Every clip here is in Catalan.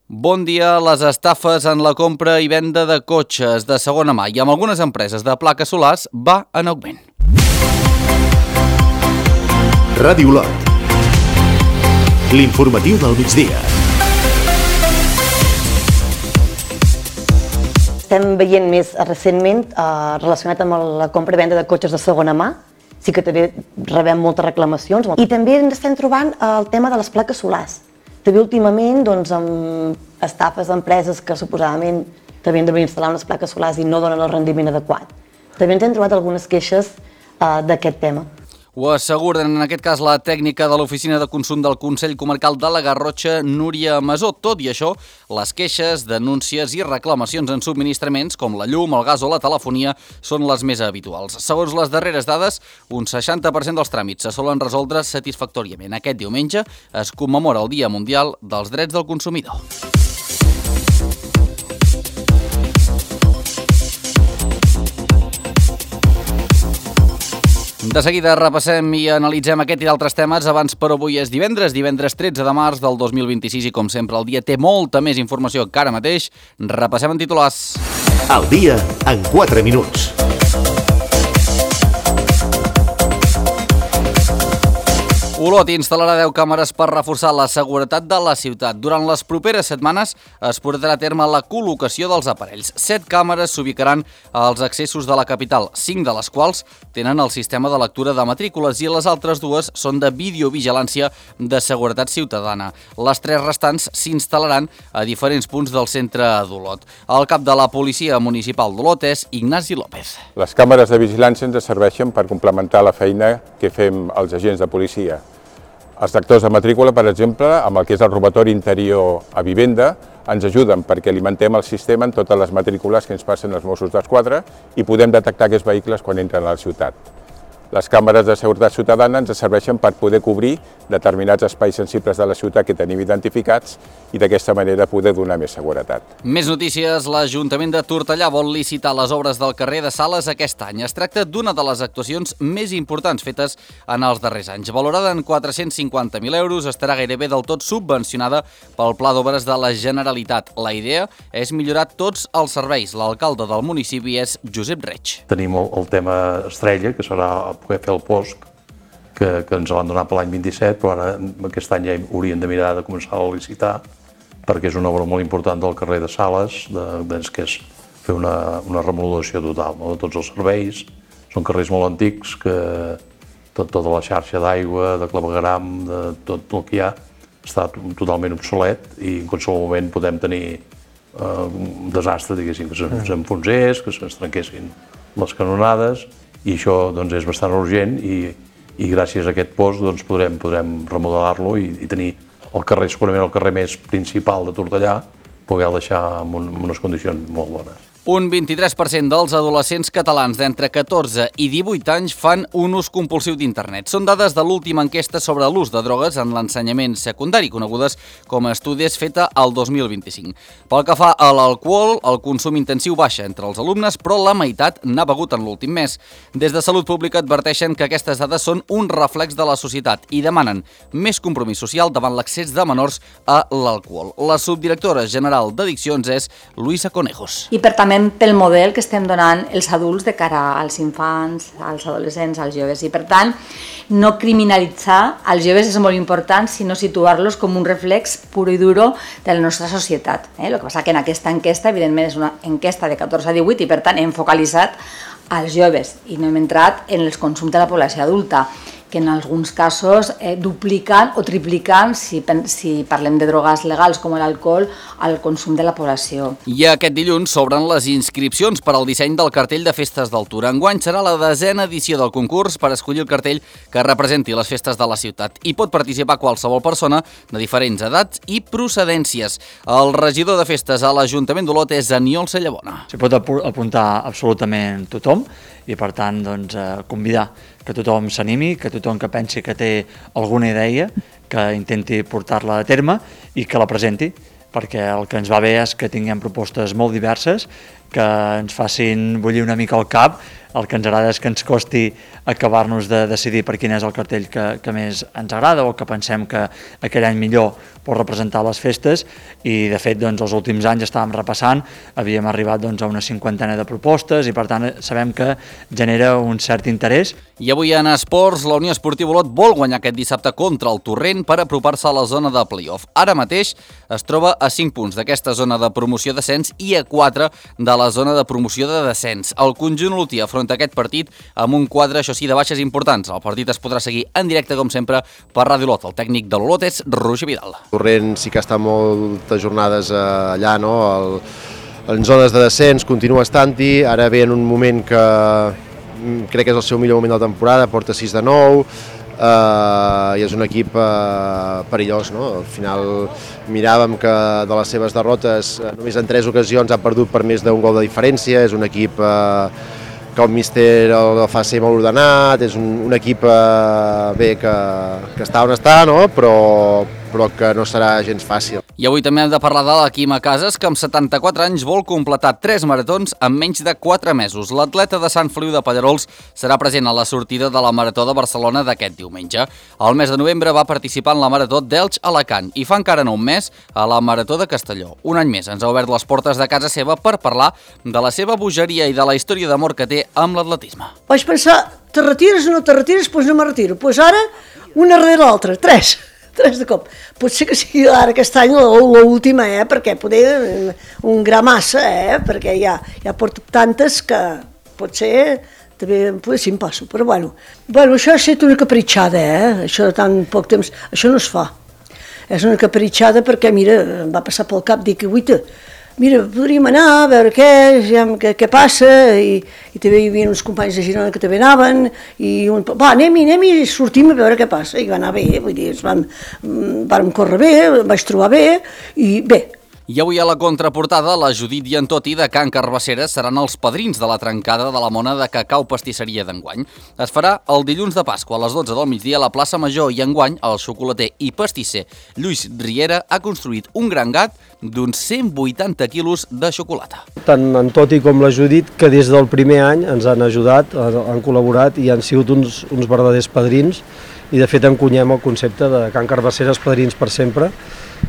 Bon dia. Les estafes en la compra i venda de cotxes de segona mà i amb algunes empreses de plaques solars va en augment. Ràdio Olot. L'informatiu del migdia. Estem veient més recentment relacionat amb la compra i venda de cotxes de segona mà. Sí que també rebem moltes reclamacions. I també ens estem trobant el tema de les plaques solars. També últimament, amb estafes d'empreses que suposadament havien d'haver instal·lar unes plaques solars i no donen el rendiment adequat. També ens hem trobat algunes queixes d'aquest tema. Ho asseguren, en aquest cas, la tècnica de l'Oficina de Consum del Consell Comarcal de la Garrotxa, Núria Masó. Tot i això, les queixes, denúncies i reclamacions en subministraments, com la llum, el gas o la telefonia, són les més habituals. Segons les darreres dades, un 60% dels tràmits se solen resoldre satisfactòriament. Aquest diumenge es commemora el Dia Mundial dels Drets del Consumidor. De seguida repassem i analitzem aquest i d'altres temes. Abans, però, avui és divendres 13 de març del 2026 i, com sempre, el dia té molta més informació que ara mateix. Repassem en titulars. El dia en 4 minuts. Olot instal·larà 10 càmeres per reforçar la seguretat de la ciutat. Durant les properes setmanes es portarà a terme la col·locació dels aparells. 7 càmeres s'ubicaran als accessos de la capital, 5 de les quals tenen el sistema de lectura de matrícules i les altres 2 són de videovigilància de seguretat ciutadana. Les 3 restants s'instal·laran a diferents punts del centre d'Olot. El cap de la Policia Municipal d'Olot és Ignasi López. Les càmeres de vigilància ens serveixen per complementar la feina que fem els agents de policia. Els lectors de matrícula, per exemple, amb el que és el robatori interior a vivenda, ens ajuden perquè alimentem el sistema en totes les matrícules que ens passen els Mossos d'Esquadra i podem detectar aquests vehicles quan entren a la ciutat. Les càmeres de seguretat ciutadana ens serveixen per poder cobrir determinats espais sensibles de la ciutat que tenim identificats i d'aquesta manera poder donar més seguretat. Més notícies. L'Ajuntament de Tortellà vol licitar les obres del carrer de Sales aquest any. Es tracta d'una de les actuacions més importants fetes en els darrers anys. Valorada en 450.000 euros, estarà gairebé del tot subvencionada pel Pla d'Obres de la Generalitat. La idea és millorar tots els serveis. L'alcalde del municipi és Josep Reig. Tenim el tema estrella, que serà poder fer el POSC, que ens l'han donat per l'any 27, però ara aquest any ja hauríem de mirar de començar a licitar, perquè és una obra molt important del carrer de Sales, que és fer una remodelació total de tots els serveis. Són carrers molt antics, que tota la xarxa d'aigua, de clavegueram, de tot el que hi ha, està totalment obsolet i en qualsevol moment podem tenir un desastre, diguéssim, que s'enfonsés, que se'ns trenquessin les canonades, i això és bastant urgent i gràcies a aquest POSC podrem remodelar-lo i tenir el carrer, segurament el carrer més principal de Tortellà, poder deixar en unes condicions molt bones. Un 23% dels adolescents catalans d'entre 14 i 18 anys fan un ús compulsiu d'internet. Són dades de l'última enquesta sobre l'ús de drogues en l'ensenyament secundari, conegudes com a estudis feta al 2025. Pel que fa a l'alcohol, el consum intensiu baixa entre els alumnes, però la meitat n'ha begut en l'últim mes. Des de Salut Pública adverteixen que aquestes dades són un reflex de la societat i demanen més compromís social davant l'accés de menors a l'alcohol. La subdirectora general d'Addiccions és Luisa Conejos. I per també pel model que estem donant els adults de cara als infants, als adolescents, als joves. I per tant, no criminalitzar els joves és molt important, sinó situar-los com un reflex puro i duro de la nostra societat. El que passa que en aquesta enquesta, evidentment, és una enquesta de 14 a 18 i per tant hem focalitzat als joves i no hem entrat en els consums de la població adulta, que en alguns casos dupliquen o tripliquen, si parlem de drogues legals com l'alcohol, el consum de la població. I aquest dilluns s'obren les inscripcions per al disseny del cartell de Festes d'Altura. Enguany serà la 10a edició del concurs per escollir el cartell que representi les festes de la ciutat. Hi pot participar qualsevol persona de diferents edats i procedències. El regidor de festes a l'Ajuntament d'Olot és Aniol Cellabona. S'hi pot apuntar absolutament tothom i, per tant, convidar que tothom s'animi, que tothom que pensi que té alguna idea, que intenti portar-la a terme i que la presenti, perquè el que ens va bé és que tinguem propostes molt diverses, que ens facin bullir una mica el cap. El que ens agrada és que ens costi acabar-nos de decidir per quin és el cartell que més ens agrada o que pensem que aquell any millor pot representar les festes, i de fet els últims anys estàvem repassant, havíem arribat a una 50ena de propostes i per tant sabem que genera un cert interès. I avui en esports, la Unió Esportiva Olot vol guanyar aquest dissabte contra el Torrent per apropar-se a la zona de play-off. Ara mateix es troba a 5 punts d'aquesta zona de promoció-descens i a 4 de la zona de promoció de descens. El conjunt olotí afronta aquest partit amb un quadre, això sí, de baixes importants. El partit es podrà seguir en directe, com sempre, per Ràdio Olot. El tècnic de l'Olot és Roger Vidal. Torrent sí que està moltes jornades allà, no? En zones de descens continua estant-hi, ara ve en un moment que crec que és el seu millor moment de la temporada, porta 6 de 9, i és un equip perillós, no? Al final miràvem que de les seves derrotes només en 3 ocasions ha perdut per més d'un gol de diferència, és un equip que el míster el fa ser molt ordenat, és un equip bé que està on està, no? però que no serà gens fàcil. I avui també hem de parlar de la Quima Casas, que amb 74 anys vol completar 3 maratons en menys de 4 mesos. L'atleta de Sant Feliu de Pallerols serà present a la sortida de la Marató de Barcelona d'aquest diumenge. Al mes de novembre va participar en la Marató d'Elx-Alacant i fa encara no un mes a la Marató de Castelló. Un any més ens ha obert les portes de casa seva per parlar de la seva bogeria i de la història d'amor que té amb l'atletisme. Vaig pensar, te retires o no te retires? Doncs no me retiro. Doncs ara, una darrere l'altra, 3 de cop. Potser que sigui ara aquest any l'última, perquè poder un gra massa, perquè ja porto tantes que potser també sí em passo, però bueno, això ha estat una capritxada, això de tan poc temps, això no es fa. És una capritxada perquè, mira, em va passar pel cap, dic, guaita, mira, podríem anar a veure què passa, i també hi havia uns companys de Girona que també anaven, i anem i sortim a veure què passa, i va anar bé, vull dir, vam córrer bé, em vaig trobar bé, i bé. I avui a la contraportada, la Judit i en Toti de Can Carbassera seran els padrins de la trencada de la mona de cacau pastisseria d'enguany. Es farà el dilluns de Pasqua a les 12 del migdia a la plaça Major, i enguany el xocolater i pastisser Lluís Riera ha construït un gran gat d'uns 180 quilos de xocolata. Tant en Toti com la Judit, que des del primer any ens han ajudat, han col·laborat i han sigut uns verdaders padrins, i de fet encunyem el concepte de Can Carbassera, els padrins per sempre,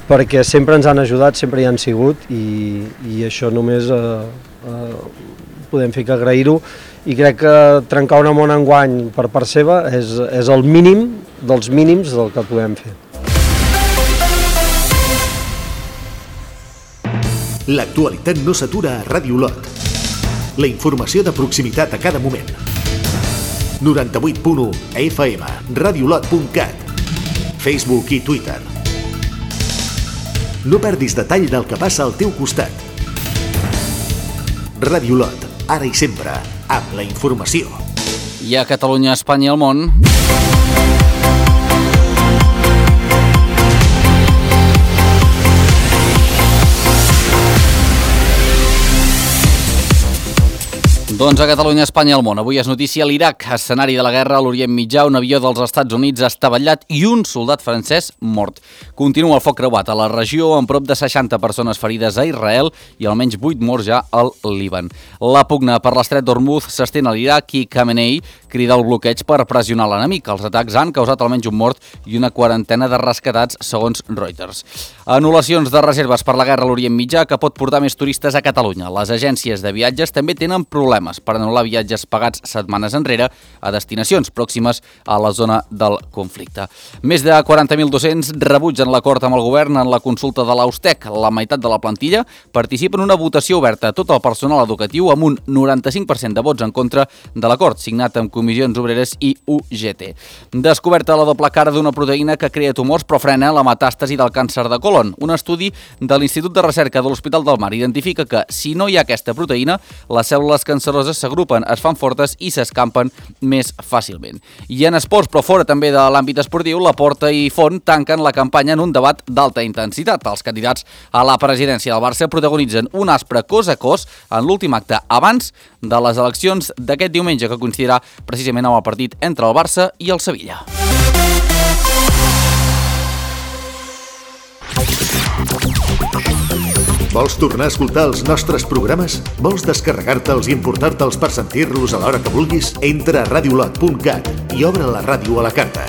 perquè sempre ens han ajudat, sempre hi han sigut, i això només podem fer que agrair-ho, i crec que trencar una mona enguany per part seva és el mínim dels mínims del que podem fer. L'actualitat no s'atura a Ràdio Olot. La informació de proximitat a cada moment. 98.1 FM, radiolot.cat, Facebook i Twitter. No perdis detall del que passa al teu costat. Ràdio Olot, ara i sempre, amb la informació. I a Catalunya, Espanya i el món... Doncs a Catalunya, Espanya i el món. Avui és notícia l'Iraq, escenari de la guerra a l'Orient Mitjà, un avió dels Estats Units estavellat i un soldat francès mort. Continua el foc creuat a la regió, amb prop de 60 persones ferides a Israel i almenys 8 morts ja al Líban. La pugna per l'estret d'Hormuz s'estén a l'Iraq i Khamenei crida el bloqueig per pressionar l'enemic. Els atacs han causat almenys un mort i una quarantena de rescatats, segons Reuters. Anul·lacions de reserves per la guerra a l'Orient Mitjà que pot portar més turistes a Catalunya. Les agències de viatges també tenen problemes per anul·lar viatges pagats setmanes enrere a destinacions pròximes a la zona del conflicte. Més de 40.200 rebutgen l'acord amb el govern en la consulta de l'Austec. La meitat de la plantilla participa en una votació oberta a tot el personal educatiu amb un 95% de vots en contra de l'acord, signat amb comissions obreres i UGT. Descoberta la doble cara d'una proteïna que crea tumors però frena la metàstasi del càncer de colon. Un estudi de l'Institut de Recerca de l'Hospital del Mar identifica que, si no hi ha aquesta proteïna, les cèl·lules canceroses s'agrupen, es fan fortes i s'escampen més fàcilment. I en esports, però fora també de l'àmbit esportiu, la Porta i Font tanquen la campanya en un debat d'alta intensitat. Els candidats a la presidència del Barça protagonitzen un aspre cos a cos en l'últim acte abans de les eleccions d'aquest diumenge, que coincidirà precisament amb el partit entre el Barça i el Sevilla. Vols tornar a escoltar els nostres programes? Vols descarregar-te'ls i importar-te'ls per sentir-los a l'hora que vulguis? Entra a radiolot.cat i obre la ràdio a la carta.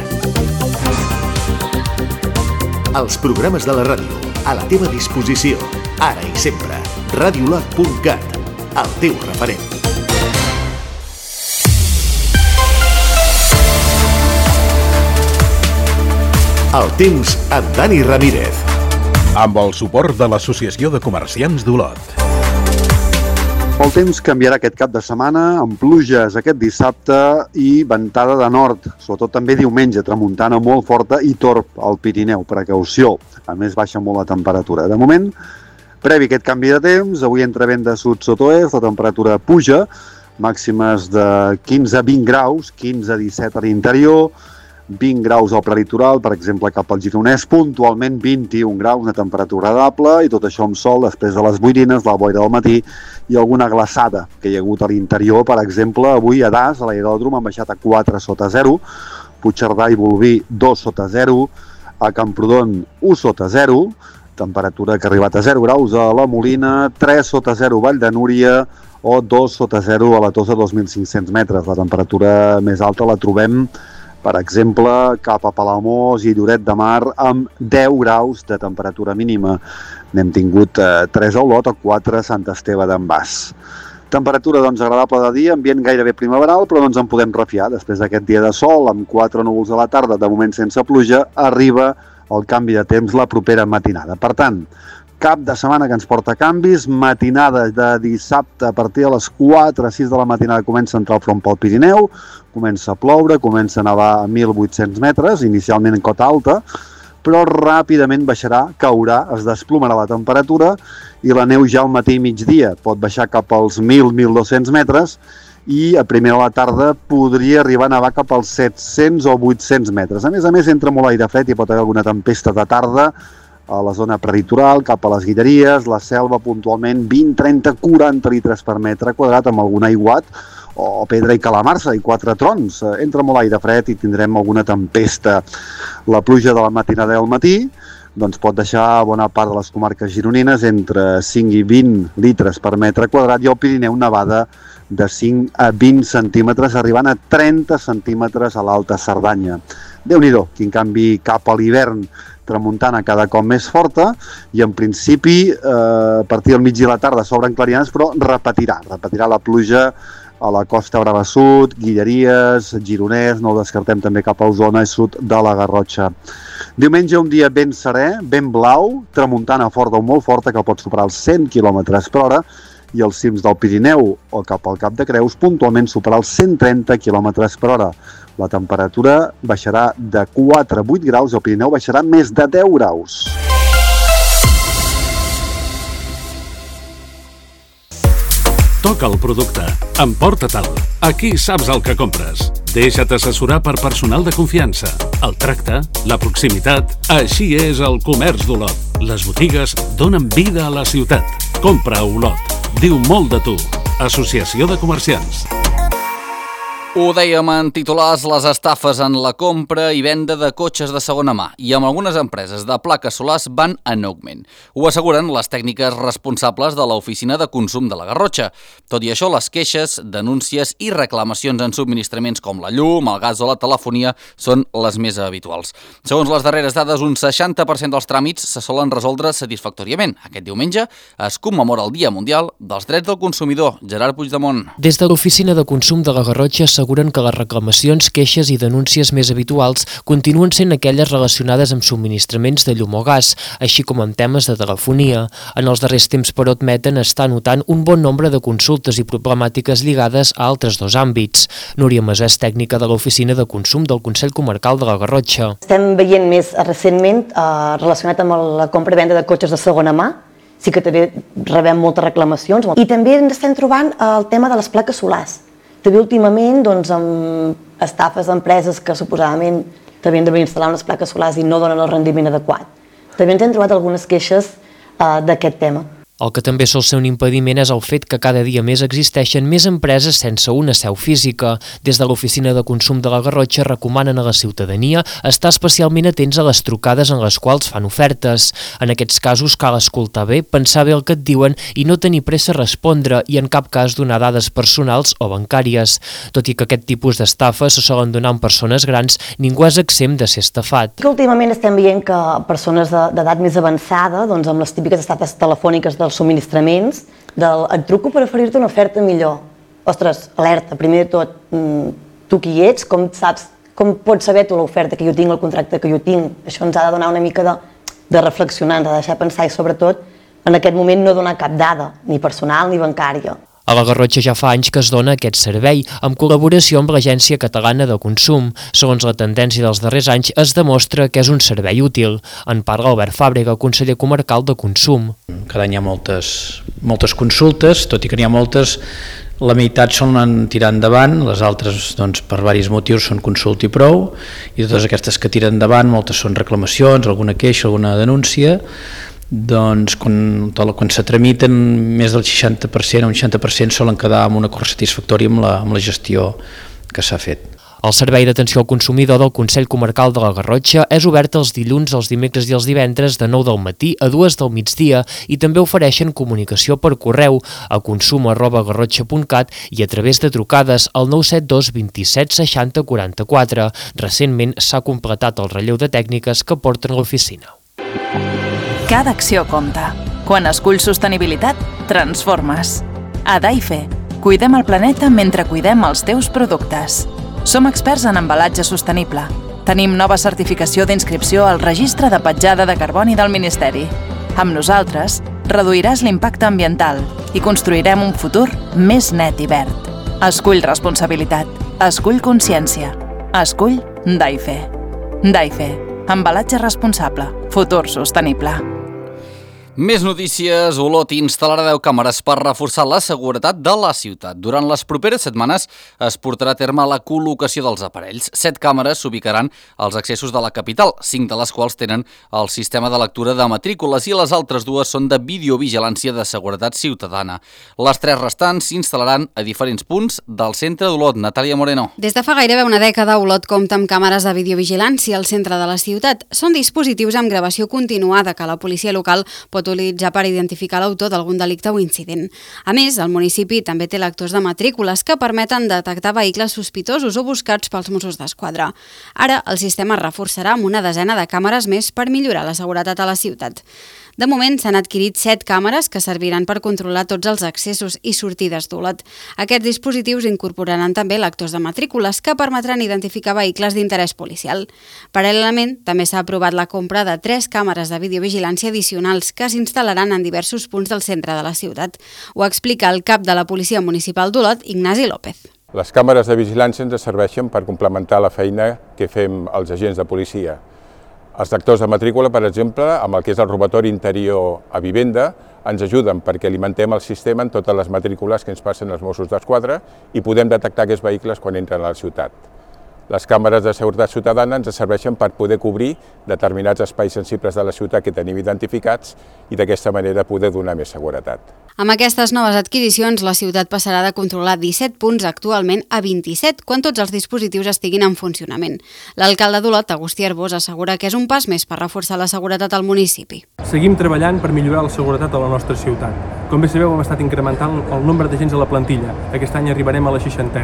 Els programes de la ràdio, a la teva disposició, ara i sempre. Radiolot.cat, el teu referent. El temps amb Dani Ramírez. Amb el suport de l'Associació de Comerciants d'Olot. El temps canviarà aquest cap de setmana, amb pluges aquest dissabte i ventada de nord, sobretot també diumenge, tramuntana molt forta i torb al Pirineu, precaució. A més, baixa molt la temperatura. De moment, previ aquest canvi de temps, avui entra vent de sud-sud-oest, la temperatura puja, màximes de 15 a 20 graus, 15 a 17 a l'interior, 20 graus al prelitoral, per exemple, cap al Gironès, puntualment 21 graus, una temperatura agradable, i tot això amb sol després de les boirines, la boira del matí i alguna glaçada que hi ha hagut a l'interior. Per exemple, avui a Das, a l'aeròdrom, han baixat a 4 sota 0, Puigcerdà i Bolvir 2 sota 0, a Camprodon 1 sota 0, temperatura que ha arribat a 0 graus a la Molina, 3 sota 0 Vall de Núria o 2 sota 0 a la Tossa, 2.500 metres. La temperatura més alta la trobem, per exemple, cap a Palamós i Lloret de Mar amb 10 graus de temperatura mínima. N'hem tingut 3 a Olot o 4 a Sant Esteve d'en Bas. Temperatura doncs agradable de dia, ambient gairebé primaveral, però no ens en podem refiar. Després d'aquest dia de sol, amb 4 núvols a la tarda, de moment sense pluja, arriba el canvi de temps la propera matinada. Per tant, cap de setmana que ens porta canvis, matinada de dissabte a partir de les 4 a 6 de la matinada comença a entrar el front pel Pirineu, comença a ploure, comença a nevar a 1.800 metres, inicialment en cota alta, però ràpidament baixarà, caurà, es desplomarà la temperatura i la neu ja al matí i migdia pot baixar cap als 1.000-1.200 metres i a primera hora de la tarda podria arribar a nevar cap als 700 o 800 metres. A més, entra molt aire fred i pot haver alguna tempesta de tarda a la zona prelitoral, cap a les Guilleries, la Selva puntualment 20, 30, 40 litres per metre quadrat amb algun aiguat o pedra i calamarsa i 4 trons. Entra molt aire fred i tindrem alguna tempesta. La pluja de la matinada del matí doncs pot deixar bona part de les comarques gironines entre 5 i 20 litres per metre quadrat i al Pirineu nevada de 5 a 20 centímetres, arribant a 30 centímetres a l'Alta Cerdanya. Déu-n'hi-do, quin canvi cap a l'hivern, tramuntana cada cop més forta i en principi a partir del migdia i la tarda s'obren clarianes, però repetirà la pluja a la Costa Brava Sud, Guilleries, Gironès, no ho descartem també cap a Osona i sud de la Garrotxa. Diumenge un dia ben serè, ben blau, tramuntana forta o molt forta que pot superar els 100 km per hora i els cims del Pirineu o cap al Cap de Creus puntualment superar els 130 km per hora. La temperatura baixarà de 4 a 8 graus i el Pirineu baixarà més de 10 graus. Toca el producte, emporta-te'l. Aquí saps el que compres. Deixa't assessorar per personal de confiança. El tracte, la proximitat, així és el comerç d'Olot. Les botigues donen vida a la ciutat. Compra a Olot. Diu molt de tu. Associació de Comerciants. Ho dèiem en titulars, les estafes en la compra i venda de cotxes de segona mà i amb algunes empreses de plaques solars van en augment. Ho asseguren les tècniques responsables de l'Oficina de Consum de la Garrotxa. Tot i això, les queixes, denúncies i reclamacions en subministraments com la llum, el gas o la telefonia són les més habituals. Segons les darreres dades, un 60% dels tràmits se solen resoldre satisfactòriament. Aquest diumenge es commemora el Dia Mundial dels Drets del Consumidor. Gerard Puigdemont. Des de l'Oficina de Consum de la Garrotxa asseguren que les reclamacions, queixes i denúncies més habituals continuen sent aquelles relacionades amb subministraments de llum o gas, així com amb temes de telefonia. En els darrers temps, però, admeten estar notant un bon nombre de consultes i problemàtiques lligades a altres dos àmbits. Núria Masà és tècnica de l'Oficina de Consum del Consell Comarcal de la Garrotxa. Estem veient més recentment relacionat amb la compra i venda de cotxes de segona mà, sí que també rebem moltes reclamacions i també ens estem trobant el tema de les plaques solars. També últimament amb estafes d'empreses que suposadament també han de venir a instal·lar unes plaques solars i no donen el rendiment adequat. També ens hem trobat algunes queixes d'aquest tema. El que també sol ser un impediment és el fet que cada dia més existeixen més empreses sense una seu física. Des de l'Oficina de Consum de la Garrotxa recomanen a la ciutadania estar especialment atents a les trucades en les quals fan ofertes. En aquests casos cal escoltar bé, pensar bé el que et diuen i no tenir pressa a respondre i en cap cas donar dades personals o bancàries. Tot i que aquest tipus d'estafes se solen donar en persones grans, ningú és exempt de ser estafat. Últimament estem veient que persones d'edat més avançada, doncs amb les típiques estafes telefòniques dels subministraments, et truco per oferir-te una oferta millor. Ostres, alerta, primer de tot, tu qui ets, com saps, com pots saber tu l'oferta que jo tinc, el contracte que jo tinc? Això ens ha de donar una mica de reflexionar, ens ha de deixar pensar i sobretot en aquest moment no donar cap dada, ni personal ni bancària. A la Garrotxa ja fa anys que es dona aquest servei, amb col·laboració amb l'Agència Catalana de Consum. Segons la tendència dels darrers anys, es demostra que és un servei útil. En parla Albert Fàbrega, conseller comarcal de Consum. Cada any hi ha moltes consultes, tot i que n'hi ha moltes, la meitat solen tirar endavant, les altres doncs, per diversos motius són consulta i prou, i totes aquestes que tiren endavant, moltes són reclamacions, alguna queixa, alguna denúncia. Doncs quan se tramiten més del 60% o un 60% solen quedar amb un acord satisfactori amb la gestió que s'ha fet. El Servei d'Atenció al Consumidor del Consell Comarcal de la Garrotxa és obert els dilluns, els dimecres i els divendres de 9 del matí a 2 del migdia i també ofereixen comunicació per correu a consum@garrotxa.cat i a través de trucades al 972 27 60 44. Recentment s'ha completat el relleu de tècniques que porten a l'oficina. Cada acció compta. Quan esculls sostenibilitat, transformes. A Daife, cuidem el planeta mentre cuidem els teus productes. Som experts en embalatge sostenible. Tenim nova certificació d'inscripció al Registre de Petjada de Carboni del Ministeri. Amb nosaltres, reduiràs l'impacte ambiental i construirem un futur més net i verd. Escull responsabilitat. Escull consciència. Escull Daife. Daife. Embalatge responsable. Futur sostenible. Més notícies. Olot instal·larà 10 càmeres per reforçar la seguretat de la ciutat. Durant les properes setmanes es portarà a terme la col·locació dels aparells. 7 càmeres s'ubicaran als accessos de la capital, 5 de les quals tenen el sistema de lectura de matrícules i les altres 2 són de videovigilància de seguretat ciutadana. Les 3 restants s'instal·laran a diferents punts del centre d'Olot. Natàlia Moreno. Des de fa gairebé una dècada, Olot compta amb càmeres de videovigilància al centre de la ciutat. Són dispositius amb gravació continuada que la policia local pot utilitzar per identificar l'autor d'algun delicte o incident. A més, el municipi també té lectors de matrícules que permeten detectar vehicles sospitosos o buscats pels Mossos d'Esquadra. Ara, el sistema es reforçarà amb una desena de càmeres més per millorar la seguretat a la ciutat. De moment, s'han adquirit 7 càmeres que serviran per controlar tots els accessos i sortides d'Olot. Aquests dispositius incorporaran també lectors de matrícules que permetran identificar vehicles d'interès policial. Paral·lelament, també s'ha aprovat la compra de 3 càmeres de videovigilància addicionals que s'instal·laran en diversos punts del centre de la ciutat. Ho explica el cap de la Policia Municipal d'Olot, Ignasi López. Les càmeres de vigilància ens serveixen per complementar la feina que fem els agents de policia. Els lectors de matrícula, per exemple, amb el que és el robatori interior a vivenda, ens ajuden perquè alimentem el sistema en totes les matrícules que ens passen els Mossos d'Esquadra i podem detectar aquests vehicles quan entren a la ciutat. Les càmeres de seguretat ciutadana ens serveixen per poder cobrir determinats espais sensibles de la ciutat que tenim identificats i d'aquesta manera poder donar més seguretat. Amb aquestes noves adquisicions, la ciutat passarà de controlar 17 punts actualment a 27 quan tots els dispositius estiguin en funcionament. L'alcalde d'Olot, Agustí Arbós, assegura que és un pas més per reforçar la seguretat al municipi. Seguim treballant per millorar la seguretat a la nostra ciutat. Com bé sabeu, hem estat incrementant el nombre d'agents a la plantilla. Aquest any arribarem a la 60.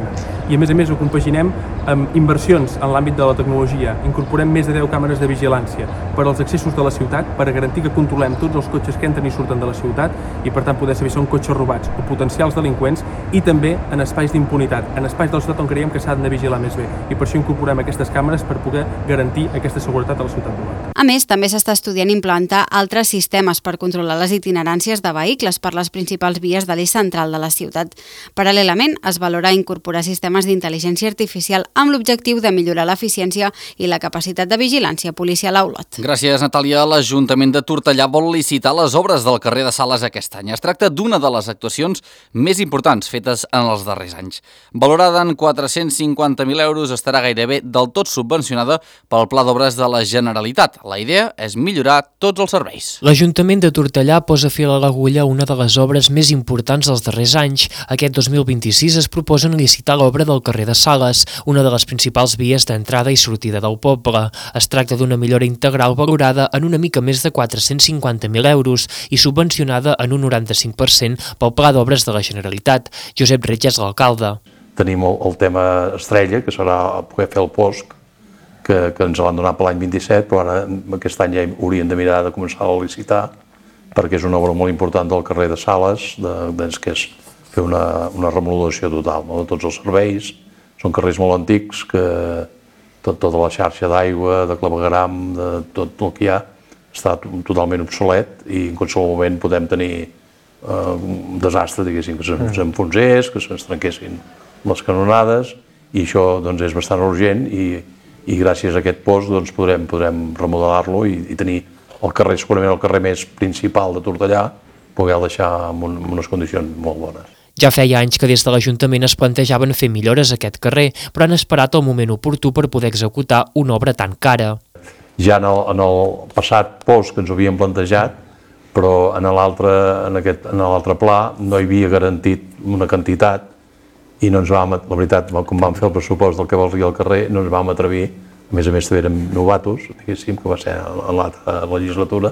I a més ho compaginem amb inversions en l'àmbit de la tecnologia. Incorporem més de 10 càmeres de vigilància per als accessos de la ciutat per garantir que controlem tots els cotxes que entren i surten de la ciutat i per tant poder saber si són cotxes robats o potencials delinqüents i també en espais d'impunitat, en espais de la ciutat on creiem que s'han de vigilar més bé i per això incorporem aquestes càmeres per poder garantir aquesta seguretat a la ciutat d'Olot. A més, també s'està estudiant implantar altres sistemes per controlar les itineràncies de vehicles per per les principals vies de l'eix central de la ciutat. Paral·lelament, es valora incorporar sistemes d'intel·ligència artificial amb l'objectiu de millorar l'eficiència i la capacitat de vigilància policial a Olot. Gràcies, Natàlia. L'Ajuntament de Tortellà vol licitar les obres del carrer de Sales aquest any. Es tracta d'una de les actuacions més importants fetes en els darrers anys. Valorada en 450.000 euros, estarà gairebé del tot subvencionada pel Pla d'Obres de la Generalitat. La idea és millorar tots els serveis. L'Ajuntament de Tortellà posa fil a l'agulla a una de les obres més importants dels darrers anys. Aquest 2026 es proposen licitar l'obra del carrer de Sales, una de les principals vies d'entrada i sortida del poble. Es tracta d'una millora integral valorada en una mica més de 450.000 euros i subvencionada en un 95% pel Pla d'Obres de la Generalitat. Josep Reig és l'alcalde. Tenim el tema estrella, que serà poder fer el POSC, que ens l'han donat per l'any 27, però ara aquest any ja hauríem de mirar de començar a licitar, perquè és una obra molt important del carrer de Sales, que és fer una remodelació total de tots els serveis. Són carrers molt antics, que tota la xarxa d'aigua, de clavegueram, de tot el que hi ha, està totalment obsolet i en qualsevol moment podem tenir un desastre, diguéssim, que s'enfonsés, que se'ns trenquessin les canonades, i això és bastant urgent i gràcies a aquest POSC podrem remodelar-lo i tenir el carrer, segurament el carrer més principal de Tortellà, poder-lo deixar en unes condicions molt bones. Ja feia anys que des de l'Ajuntament es plantejaven fer millores a aquest carrer, però han esperat el moment oportú per poder executar una obra tan cara. Ja en el passat POSC que ens ho havíem plantejat, però en l'altre pla no hi havia garantit una quantitat i no ens vam, la veritat, com vam fer el pressupost del que volia el carrer, no ens vam atrevir, a més també érem novatos, diguéssim, que va ser en l'altra legislatura,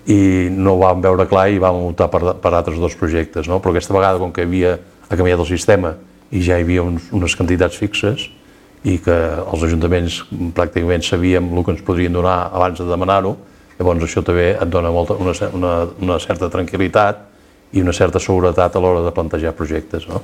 i no ho vam veure clar i vam optar per altres dos projectes, no? Però aquesta vegada, com que ha canviat el sistema i ja hi havia unes quantitats fixes i que els ajuntaments pràcticament sabíem el que ens podrien donar abans de demanar-ho, llavors això també et dona una certa tranquil·litat i una certa seguretat a l'hora de plantejar projectes, no?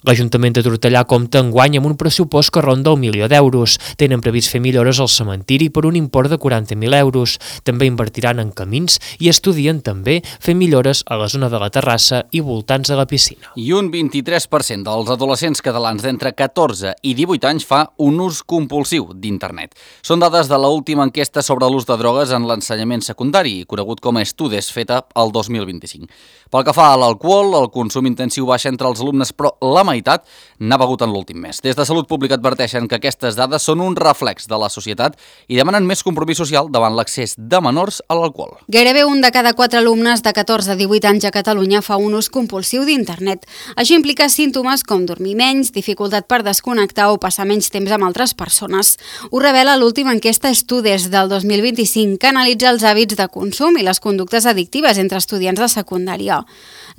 L'Ajuntament de Tortellà compta enguany amb un pressupost que ronda el 1 milió d'euros. Tenen previst fer millores al cementiri per un import de 40.000 euros. També invertiran en camins i estudien també fer millores a la zona de la terrassa i voltants de la piscina. I un 23% dels adolescents catalans d'entre 14 i 18 anys fa un ús compulsiu d'internet. Són dades de l'última enquesta sobre l'ús de drogues en l'ensenyament secundari, conegut com a Estudes, feta el 2025. Pel que fa a l'alcohol, el consum intensiu baixa entre els alumnes, però la meitat n'ha begut en l'últim mes. Des de Salut Pública adverteixen que aquestes dades són un reflex de la societat i demanen més compromís social davant l'accés de menors a l'alcohol. Gairebé un de cada 4 alumnes de 14 a 18 anys a Catalunya fa un ús compulsiu d'internet. Això implica símptomes com dormir menys, dificultat per desconnectar o passar menys temps amb altres persones. Ho revela l'última enquesta Estudes del 2025, que analitza els hàbits de consum i les conductes addictives entre estudiants de secundària.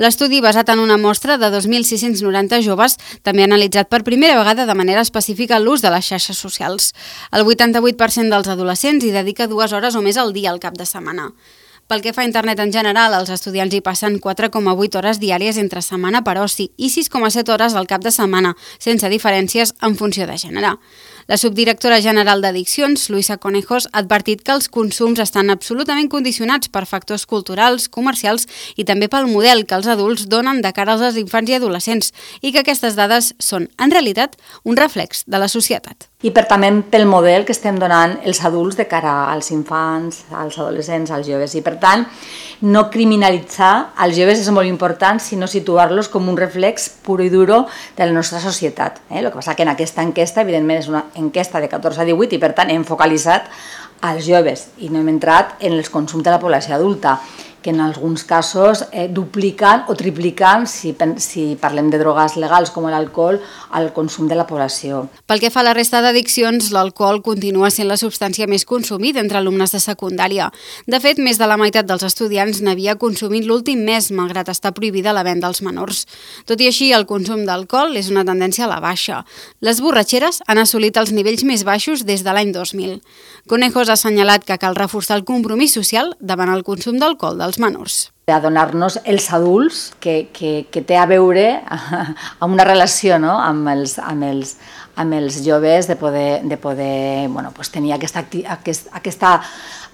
L'estudi, basat en una mostra de 2.690 joves, també ha analitzat per primera vegada de manera específica l'ús de les xarxes socials. El 88% dels adolescents hi dedica 2 hores o més al dia al cap de setmana. Pel que fa a internet en general, els estudiants hi passen 4,8 hores diàries entre setmana per oci i 6,7 hores al cap de setmana, sense diferències en funció de gènere. La subdirectora general d'Addiccions, Luisa Conejos, ha advertit que els consums estan absolutament condicionats per factors culturals, comercials i també pel model que els adults donen de cara als infants i adolescents i que aquestes dades són, en realitat, un reflex de la societat. I també pel model que estem donant els adults de cara als infants, als adolescents, als joves. I per tant, no criminalitzar els joves és molt important, sinó situar-los com un reflex puro i duro de la nostra societat. El que passa que en aquesta enquesta, evidentment, és una enquesta de 14 a 18 i per tant hem focalitzat als joves i no hem entrat en els consums de la població adulta, que en alguns casos dupliquen o tripliquen, si parlem de drogues legals com l'alcohol, el consum de la població. Pel que fa a la resta d'addiccions, l'alcohol continua sent la substància més consumida entre alumnes de secundària. De fet, més de la meitat dels estudiants n'havia consumit l'últim mes, malgrat estar prohibida la venda als menors. Tot i així, el consum d'alcohol és una tendència a la baixa. Les borratxeres han assolit els nivells més baixos des de l'any 2000. Conejos ha assenyalat que cal reforçar el compromís social davant el consum d'alcohol dels menors. A donar-nos els adults que té a veure amb una relació, no? amb els joves, de poder tenir aquesta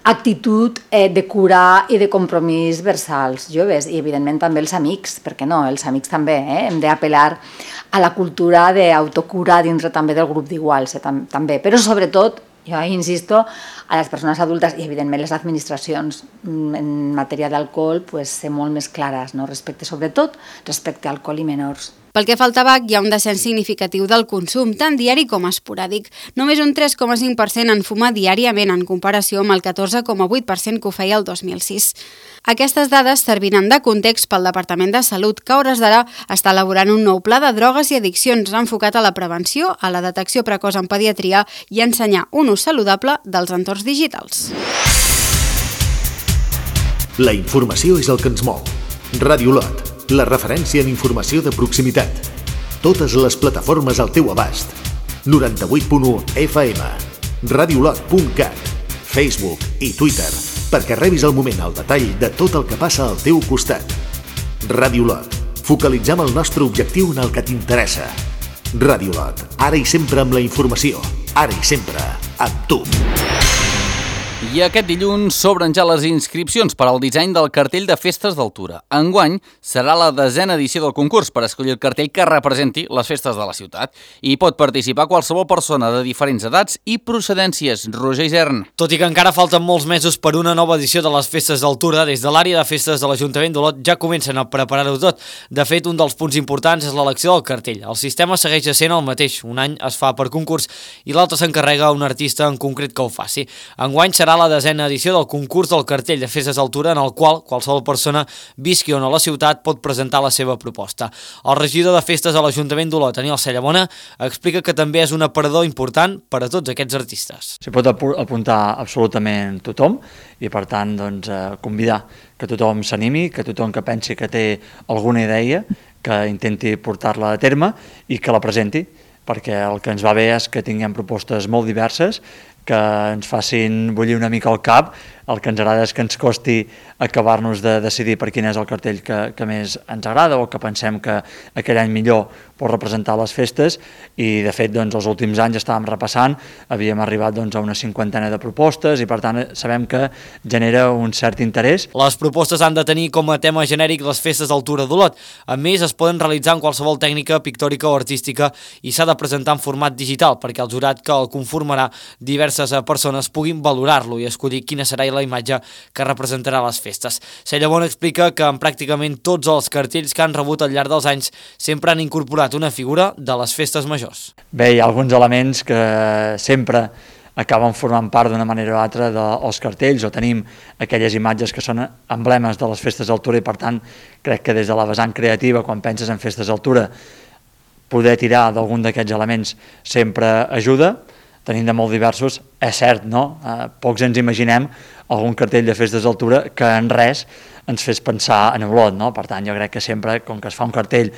actitud de cura i de compromís vers als joves i evidentment també els amics, perquè no, els amics també hem d'apel·lar a la cultura d'autocura dintre també del grup d'iguals, també, però sobretot, jo insisto, a les persones adultes i evidentment les administracions en matèria d'alcohol ser molt més clares, respecte sobretot respecte a alcohol i menors. Pel que fa al tabac, hi ha un descens significatiu del consum, tant diari com esporàdic. Només un 3,5% en fuma diàriament, en comparació amb el 14,8% que ho feia el 2006. Aquestes dades serviran de context pel Departament de Salut, que a hores d'ara està elaborant un nou pla de drogues i addiccions enfocat a la prevenció, a la detecció precoç en pediatria i a ensenyar un ús saludable dels entorns digitals. La informació és el que ens mou. Ràdio Lot, la referència en informació de proximitat. Totes les plataformes al teu abast. 98.1 FM, radiolot.cat, Facebook i Twitter, perquè rebis al moment el detall de tot el que passa al teu costat. Ràdio Lot, focalitzem el nostre objectiu en el que t'interessa. Ràdio Lot, ara i sempre amb la informació, ara i sempre amb tu. I aquest dilluns s'obren ja les inscripcions per al disseny del cartell de Festes d'Altura. Enguany serà la 10a edició del concurs per escollir el cartell que representi les festes de la ciutat. Hi pot participar qualsevol persona de diferents edats i procedències. Roger Isern. Tot i que encara falten molts mesos per una nova edició de les Festes d'Altura, des de l'àrea de festes de l'Ajuntament d'Olot ja comencen a preparar-ho tot. De fet, un dels punts importants és l'elecció del cartell. El sistema segueix sent el mateix. Un any es fa per concurs i l'altre s'encarrega un artista en concret que ho faci. Enguany serà la 10a edició del concurs del cartell de Festes d'Altura, en el qual qualsevol persona visqui o no a la ciutat pot presentar la seva proposta. El regidor de Festes a l'Ajuntament d'Olot, Daniel Sallamona, explica que també és un aparador important per a tots aquests artistes. S'hi pot apuntar absolutament tothom i per tant convidar que tothom s'animi, que tothom que pensi que té alguna idea, que intenti portar-la a terme i que la presenti, perquè el que ens va bé és que tinguem propostes molt diverses, que ens facin bullir una mica el cap. El que ens agrada és que ens costi acabar-nos de decidir per quin és el cartell que més ens agrada o que pensem que aquell any millor pot representar les festes i de fet els últims anys estàvem repassant, havíem arribat a una 50a de propostes i per tant sabem que genera un cert interès. Les propostes han de tenir com a tema genèric les festes d'Altura d'Olot. A més, es poden realitzar en qualsevol tècnica pictòrica o artística i s'ha de presentar en format digital perquè el jurat que el conformarà diverses persones puguin valorar-lo i escollir quina serà la imatge que representarà les festes. Sallamona explica que en pràcticament tots els cartells que han rebut al llarg dels anys sempre han incorporat una figura de les festes majors. Bé, hi ha alguns elements que sempre acaben formant part d'una manera o altra dels cartells o tenim aquelles imatges que són emblemes de les festes d'Altura i per tant crec que des de la vessant creativa quan penses en festes d'Altura poder tirar d'algun d'aquests elements sempre ajuda. Tenim de molt diversos, és cert, no? Pocs ens imaginem algun cartell de festes d'Altura que en res ens fes pensar en Olot, no? Per tant, jo crec que sempre, com que es fa un cartell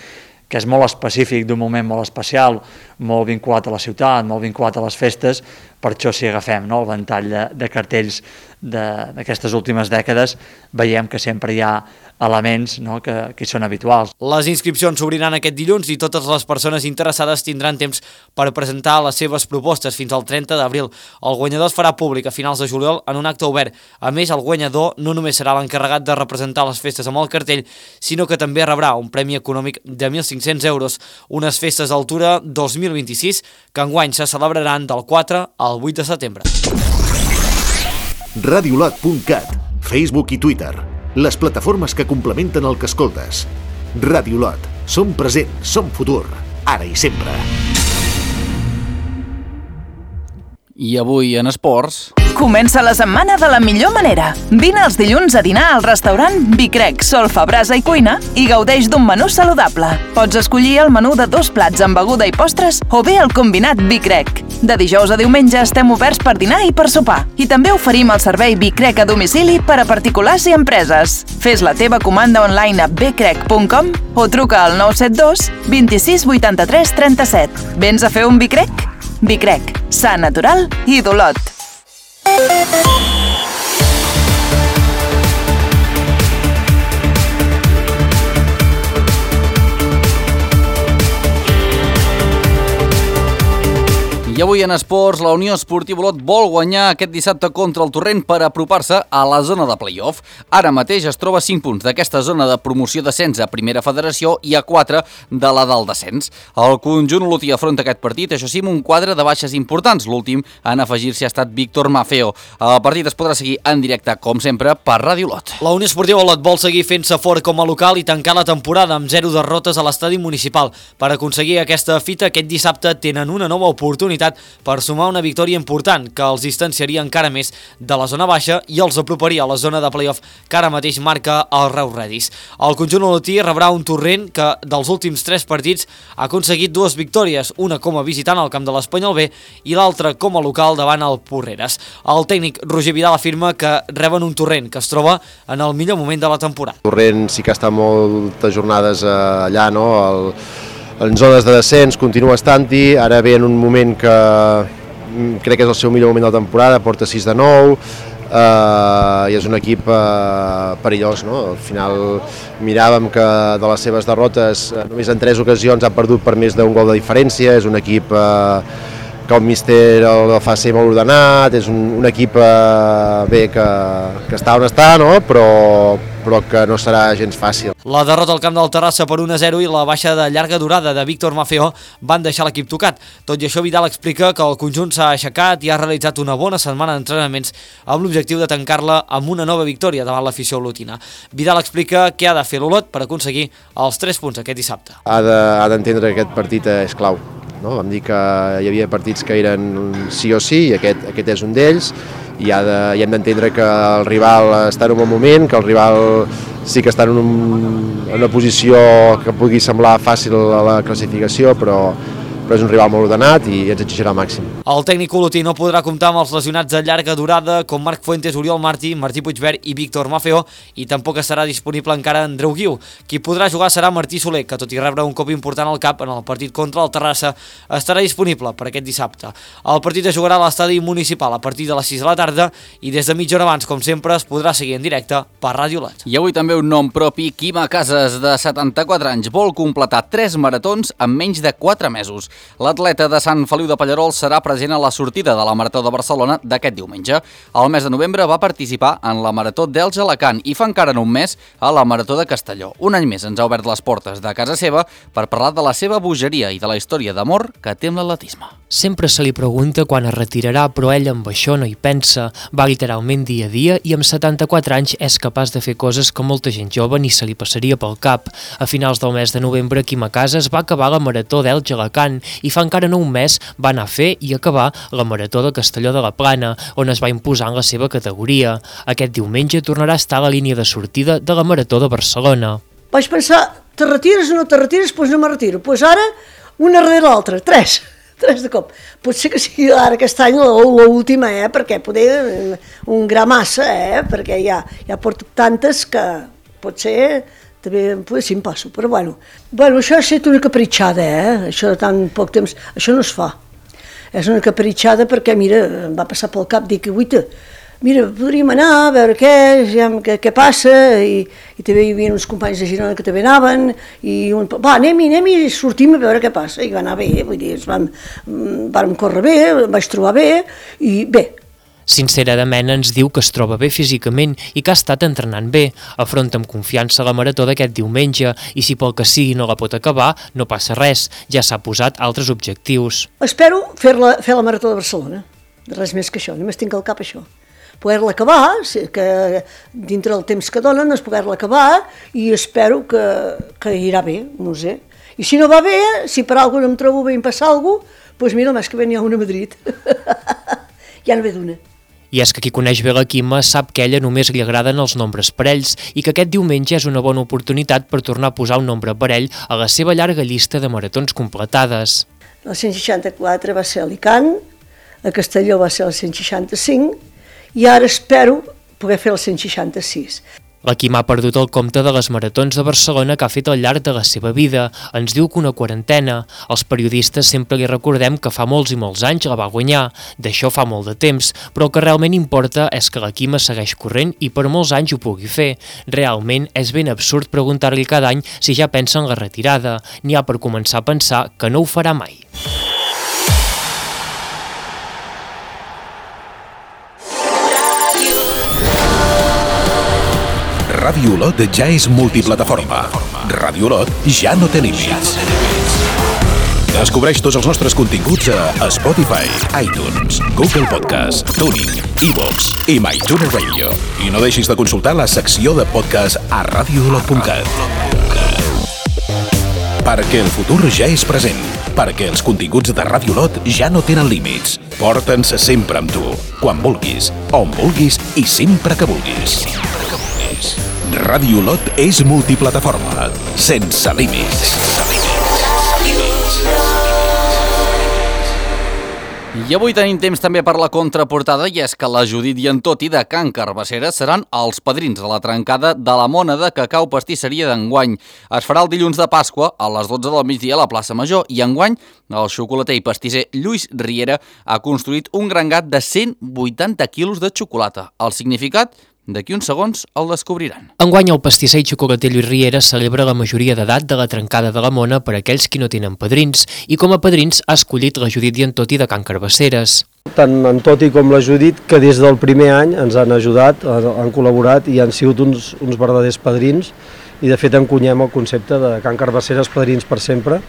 que és molt específic d'un moment molt especial, molt vinculat a la ciutat, molt vinculat a les festes, per això si agafem el ventall de cartells d'aquestes últimes dècades, veiem que sempre hi ha elements que hi són habituals. Les inscripcions s'obriran aquest dilluns i totes les persones interessades tindran temps per presentar les seves propostes fins al 30 d'abril. El guanyador es farà públic a finals de juliol en un acte obert. A més, el guanyador no només serà l'encarregat de representar les festes amb el cartell, sinó que també rebrà un premi econòmic de 1.500 euros, unes festes d'Altura 2026 que enguany se celebraran del 4 al 8 de setembre. Radiolot.cat, Facebook i Twitter, les plataformes que complementen el que escoltes. Radiolot, som present, som futur, ara i sempre. I avui en esports... Comença la setmana de la millor manera. Vine els dilluns a dinar al restaurant Bicrec, Solfa, Brasa i Cuina i gaudeix d'un menú saludable. Pots escollir el menú de 2 plats amb beguda i postres o bé el combinat Bicrec. De dijous a diumenge estem oberts per dinar i per sopar. I també oferim el servei Bicrec a domicili per a particulars i empreses. Fes la teva comanda online a bcrec.com o truca al 972 26 83 37. Vens a fer un Bicrec? Bicrec, sa, natural i d'Olot. I avui en esports, la Unió Esportiva Olot vol guanyar aquest dissabte contra el Torrent per apropar-se a la zona de play-off. Ara mateix es troba a 5 punts d'aquesta zona de promoció d'ascens a Primera Federació i a 4 de la del descens. El conjunt olotí afronta aquest partit, això sí, amb un quadre de baixes importants. L'últim en afegir-s'hi ha estat Víctor Maffeo. El partit es podrà seguir en directe, com sempre, per Ràdio Olot. La Unió Esportiva Olot vol seguir fent-se fort com a local i tancar la temporada amb 0 derrotes a l'estadi municipal. Per aconseguir aquesta fita, aquest dissabte tenen una nova oportunitat per sumar una victòria important que els distanciaria encara més de la zona baixa i els aproparia a la zona de play-off que ara mateix marca el Reus Redis. El conjunt olotí rebrà un Torrent que dels últims 3 partits ha aconseguit 2 victòries, una com a visitant al camp de l'Espanyol B i l'altra com a local davant el Porreres. El tècnic Roger Vidal afirma que reben un Torrent que es troba en el millor moment de la temporada. Torrent sí que està moltes jornades allà, no? En zones de descens continua estant-hi, ara ve en un moment que crec que és el seu millor moment de la temporada, porta 6 de 9, i és un equip perillós, no? Al final miràvem que de les seves derrotes només en 3 ocasions ha perdut per més d'un gol de diferència, és un equip que el míster el fa ser molt ordenat, és un equip bé que està on està, no? però que no serà gens fàcil. La derrota al camp del Terrassa per 1-0 i la baixa de llarga durada de Víctor Maffeo van deixar l'equip tocat. Tot i això, Vidal explica que el conjunt s'ha aixecat i ha realitzat una bona setmana d'entrenaments amb l'objectiu de tancar-la amb una nova victòria davant l'afició olotina. Vidal explica què ha de fer l'Olot per aconseguir els 3 punts aquest dissabte. Ha d'entendre que aquest partit és clau. No? Vam dir que hi havia partits que eren sí o sí i aquest és un d'ells i hem d'entendre que el rival està en un bon moment, que el rival sí que està en una posició que pugui semblar fàcil a la classificació, però és un rival molt ordenat i ens exigirà al màxim. El tècnic olotí no podrà comptar amb els lesionats de llarga durada com Marc Fuentes, Oriol Martí, Martí Puigvert i Víctor Maffeo i tampoc estarà disponible encara Andreu Guiu. Qui podrà jugar serà Martí Soler, que tot i rebre un cop important al cap en el partit contra el Terrassa, estarà disponible per aquest dissabte. El partit es jugarà a l'estadi municipal a partir de les 6 de la tarda i des de mitja hora abans, com sempre, es podrà seguir en directe per Ràdio Olot. I avui també un nom propi, Quima Casas, de 74 anys, vol completar 3 maratons en menys de 4 mesos. L'atleta de Sant Feliu de Pallerols serà present a la sortida de la Marató de Barcelona d'aquest diumenge. Al mes de novembre va participar en la Marató d'Elx-Alacant i fa encara no un mes a la Marató de Castelló. Un any més ens ha obert les portes de casa seva per parlar de la seva bogeria i de la història d'amor que té amb l'atletisme. Sempre se li pregunta quan es retirarà, però ell amb això no hi pensa. Va literalment dia a dia i amb 74 anys és capaç de fer coses que molta gent jove ni se li passaria pel cap. A finals del mes de novembre, Quima Casas va acabar la Marató d'Elx-Alacant i fa encara no un mes va anar a fer i acabar la Marató de Castelló de la Plana, on es va imposar en la seva categoria. Aquest diumenge tornarà a estar a la línia de sortida de la Marató de Barcelona. Vaig pensar, te retires o no te retires? Doncs no me retiro. Doncs ara, una darrere l'altra, 3 de cop. Potser que sigui ara aquest any l'última, perquè poder un gra massa, perquè ja porto tantes que potser també sí em passo, però bueno, això ha estat una capritxada, això de tan poc temps, això no es fa. És una capritxada perquè, mira, em va passar pel cap, dic, mira, podríem anar a veure què passa, i també hi havia uns companys de Girona que també anaven, i anem i sortim a veure què passa, i va anar bé, vull dir, vam córrer bé, em vaig trobar bé, i bé. Sincerament ens diu que es troba bé físicament i que ha estat entrenant bé. Afronta amb confiança la marató d'aquest diumenge i si pel que sigui no la pot acabar, no passa res, ja s'ha posat altres objectius. Espero fer la marató de Barcelona, res més que això, només tinc al cap això. Poder-la acabar, que dintre del temps que donen és poder-la acabar i espero que irà bé, no sé. I si no va bé, si per alguna no em trobo bé i em passa alguna cosa, doncs mira, el mes que ve n'hi ha una a Madrid. Ja no ve d'una. I és que qui coneix bé la Quima sap que a ella només li agraden els nombres parells i que aquest diumenge és una bona oportunitat per tornar a posar un nombre parell a la seva llarga llista de maratons completades. El 164 va ser a Alicant, a Castelló va ser el 165 i ara espero poder fer el 166. La Quima ha perdut el compte de les maratons de Barcelona que ha fet al llarg de la seva vida. Ens diu que una quarantena. Els periodistes sempre li recordem que fa molts i molts anys la va guanyar. D'això fa molt de temps, però el que realment importa és que la Quima segueix corrent i per molts anys ho pugui fer. Realment és ben absurd preguntar-li cada any si ja pensa en la retirada. N'hi ha per començar a pensar que no ho farà mai. Ràdio Olot ja és multiplataforma. Ràdio Olot ja no té límits. Descobreix tots els nostres continguts a Spotify, iTunes, Google Podcast, TuneIn, iVoox i MyTuner Radio. I no deixis de consultar la secció de podcast a radioolot.cat. Perquè el futur ja és present. Perquè els continguts de Ràdio Olot ja no tenen límits. Porta'ns sempre amb tu, quan vulguis, on vulguis i sempre que vulguis. Ràdio Olot és multiplataforma, sense límits. I avui tenim temps també per la contraportada, i és que la Judit i en Toti de Can Carbassera seran els padrins de la trencada de la mona de cacau pastisseria d'enguany. Es farà el dilluns de Pasqua a les 12 del migdia a la plaça Major, i enguany el xocolater i pastisser Lluís Riera ha construït un gran gat de 180 quilos de xocolata. El significat? D'aquí uns segons el descobriran. Enguany el pastisser i xocolater Lluís Riera celebra la majoria d'edat de la trencada de la mona per a aquells qui no tenen padrins, i com a padrins ha escollit la Judit i en Toti de Can Carbasseres. Tant en Toti com la Judit, que des del primer any ens han ajudat, han col·laborat i han sigut uns verdaders padrins, i de fet encunyem el concepte de Can Carbasseres padrins per sempre,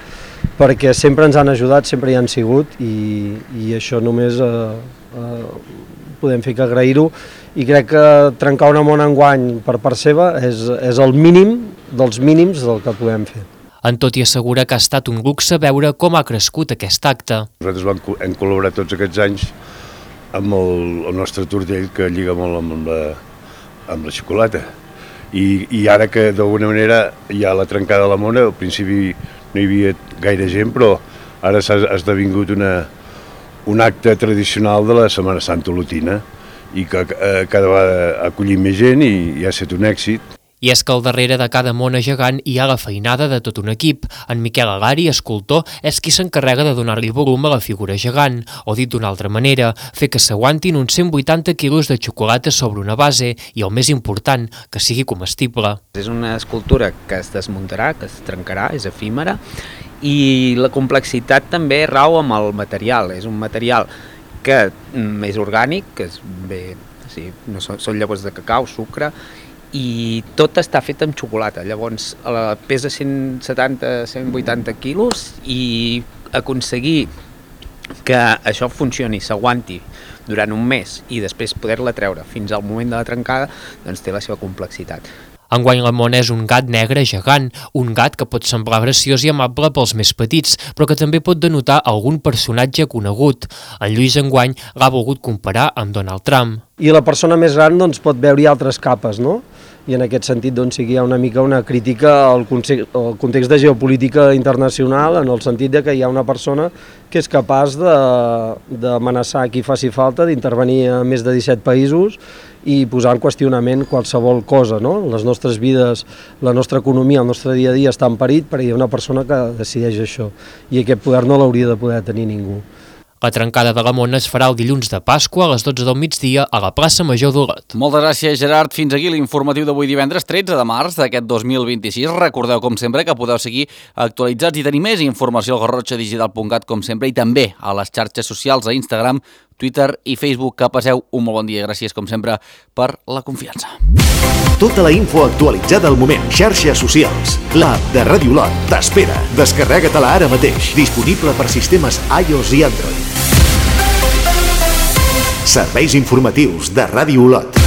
perquè sempre ens han ajudat, sempre hi han sigut, i això només podem fer que agrair-ho, i crec que trencar una mona enguany per part seva és el mínim dels mínims del que podem fer. En Toti assegura que ha estat un luxe veure com ha crescut aquest acte. Nosaltres hem col·laborat tots aquests anys amb el nostre tortell, que lliga molt amb la xocolata. I ara que d'alguna manera hi ha la trencada de la mona, al principi no hi havia gaire gent, però ara s'ha esdevingut un acte tradicional de la Setmana Santa olotina, i que cada vegada ha acollit més gent i ha estat un èxit. I és que al darrere de cada mona gegant hi ha la feinada de tot un equip. En Miquel Agari, escultor, és qui s'encarrega de donar-li volum a la figura gegant, o dit d'una altra manera, fer que s'aguantin uns 180 quilos de xocolata sobre una base i, el més important, que sigui comestible. És una escultura que es desmuntarà, que es trencarà, és efímera, i la complexitat també rau amb el material. És un material que és orgànic, que no són llavors de cacau, sucre, i tot està fet amb xocolata. Llavors pesa 170-180 quilos, i aconseguir que això funcioni, s'aguanti durant un mes i després poder-la treure fins al moment de la trencada, doncs té la seva complexitat. Enguany la mona és un gat negre gegant, un gat que pot semblar graciós i amable pels més petits, però que també pot denotar algun personatge conegut. En Lluís enguany l'ha volgut comparar amb Donald Trump. I la persona més gran doncs, pot veure-hi altres capes, no? I en aquest sentit doncs, sí que hi ha una mica una crítica al context de geopolítica internacional, en el sentit de que hi ha una persona que és capaç d'amenaçar qui faci falta, d'intervenir a més de 17 països i posar en qüestionament qualsevol cosa, no? Les nostres vides, la nostra economia, el nostre dia a dia està en perill perquè hi ha una persona que decideix això, i aquest poder no l'hauria de poder tenir ningú. La trencada de la mona es farà el dilluns de Pasqua a les 12 del migdia a la plaça Major d'Olot. Moltes gràcies, Gerard. Fins aquí l'informatiu d'avui divendres 13 de març d'aquest 2026. Recordeu, com sempre, que podeu seguir actualitzats i tenir més informació al garrotxadigital.cat, com sempre, i també a les xarxes socials, a Instagram, Twitter i Facebook. Que passeu un molt bon dia. Gràcies, com sempre, per la confiança. Tota la info actualitzada al moment. Xarxes socials. L'app de Ràdio Olot t'espera. Descarrega-te-la ara mateix. Disponible per sistemes iOS i Android. Serveis informatius de Ràdio Olot.